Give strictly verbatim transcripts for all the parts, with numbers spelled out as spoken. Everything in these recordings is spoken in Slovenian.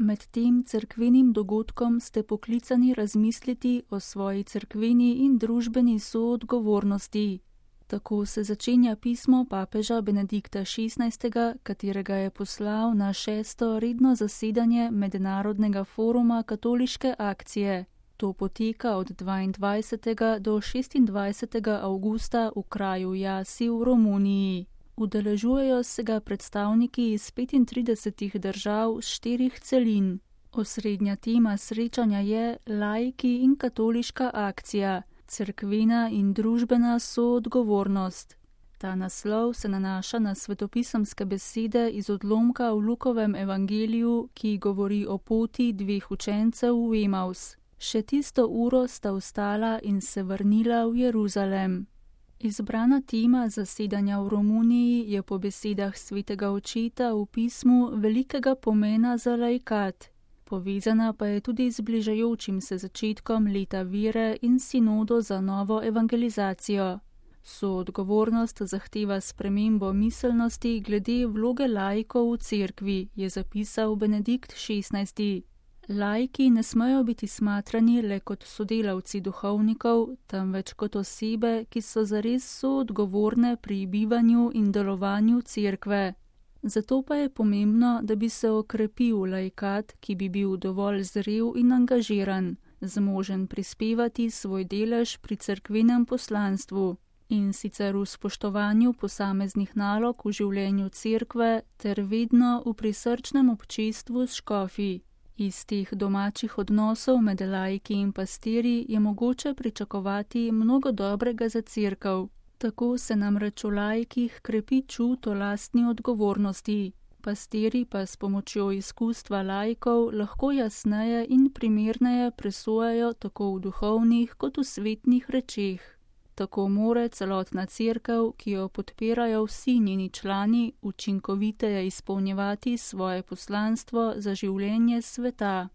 Med tem cerkvenim dogodkom ste poklicani razmisliti o svoji cerkveni in družbeni soodgovornosti. Tako se začenja pismo papeža Benedikta šestnajstega, katerega je poslal na šesto redno zasedanje Mednarodnega foruma katoliške akcije. To poteka od dvaindvajsetega do šestindvajsetega avgusta v kraju Jasi v Romuniji. Udeležujejo se ga predstavniki iz petintridesetih držav s štirih celin. Osrednja tema srečanja je laiki in katoliška akcija, cerkvena in družbena soodgovornost. Ta naslov se nanaša na svetopisemske besede iz odlomka v Lukovem evangeliju, ki govori o poti dveh učencev v Emaus. Še tisto uro sta vstala in se vrnila v Jeruzalem. Izbrana tema zasedanja v Romuniji je po besedah svetega očeta v pismu velikega pomena za laikat. Povezana pa je tudi z bližajočim se začetkom leta vere in sinodo za novo evangelizacijo. Soodgovornost zahteva spremembo miselnosti glede vloge laikov v cerkvi, je zapisal Benedikt šestnajsti. Laiki ne smejo biti smatrani le kot sodelavci duhovnikov, temveč kot osebe, ki so zares soodgovorne pri bivanju in delovanju cerkve. Zato pa je pomembno, da bi se okrepil laikat, ki bi bil dovolj zrel in angažiran, zmožen prispevati svoj delež pri cerkvenem poslanstvu, in sicer v spoštovanju posameznih nalog v življenju cerkve ter vedno v prisrčnem občestvu s škofi. Iz teh domačih odnosov med laiki in pastirji je mogoče pričakovati mnogo dobrega za cerkev. Tako se namreč v laikih krepi čut o lastni odgovornosti. Pastirji pa s pomočjo izkustva laikov lahko jasneje in primerneje presojajo tako v duhovnih kot v svetnih rečeh. Tako more celotna cerkev, ki jo podpirajo vsi njeni člani, učinkoviteje izpolnjevati svoje poslanstvo za življenje sveta.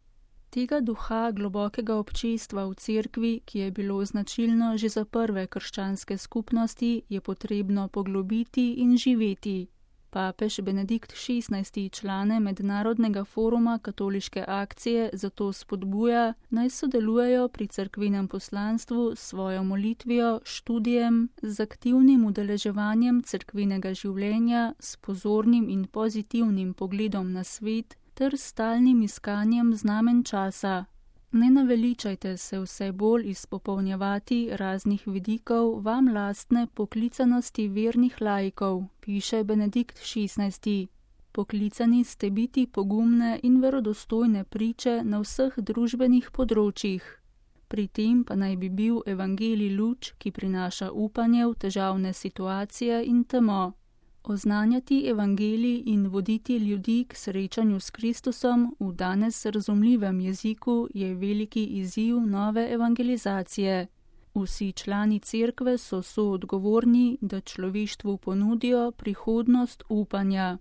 Tega duha globokega občestva v cerkvi, ki je bilo značilno že za prve krščanske skupnosti, je potrebno poglobiti in živeti. Papež Benedikt šestnajsti člane Mednarodnega foruma katoliške akcije zato spodbuja, naj sodelujejo pri cerkvenem poslanstvu s svojo molitvijo, študijem, z aktivnim udeleževanjem cerkvenega življenja, s pozornim in pozitivnim pogledom na svet ter stalnim iskanjem znamen časa. Ne naveličajte se vse bolj izpopolnjevati raznih vidikov vam lastne poklicanosti vernih laikov, piše Benedikt šestnajsti. Poklicani ste biti pogumne in verodostojne priče na vseh družbenih področjih. Pri tem pa naj bi bil evangelij luč, ki prinaša upanje v težavne situacije in temo. Oznanjati evangelij in voditi ljudi k srečanju s Kristusom v danes razumljivem jeziku je veliki izziv nove evangelizacije. Vsi člani cerkve so soodgovorni, da človeštvu ponudijo prihodnost upanja.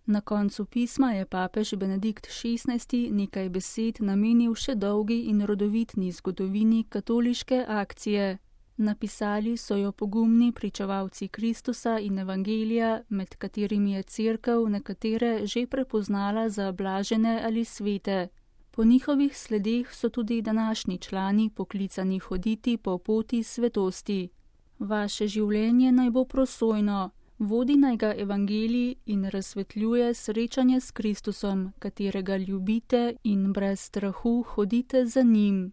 Na koncu pisma je papež Benedikt šestnajsti nekaj besed namenil še dolgi in rodovitni zgodovini katoliške akcije. Napisali so jo pogumni pričevalci Kristusa in evangelija, med katerimi je cerkev nekatere že prepoznala za blažene ali svete. Po njihovih sledeh so tudi današnji člani poklicani hoditi po poti svetosti. Vaše življenje naj bo prosojno, vodi naj ga evangelij in razsvetljuje srečanje s Kristusom, katerega ljubite in brez strahu hodite za njim.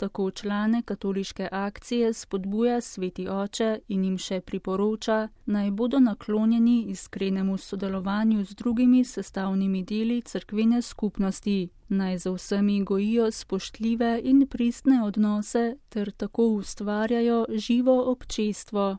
Tako člane katoliške akcije spodbuja sveti oče in jim še priporoča, naj bodo naklonjeni iskrenemu sodelovanju z drugimi sestavnimi deli cerkvene skupnosti, naj za vsemi gojijo spoštljive in pristne odnose ter tako ustvarjajo živo občestvo.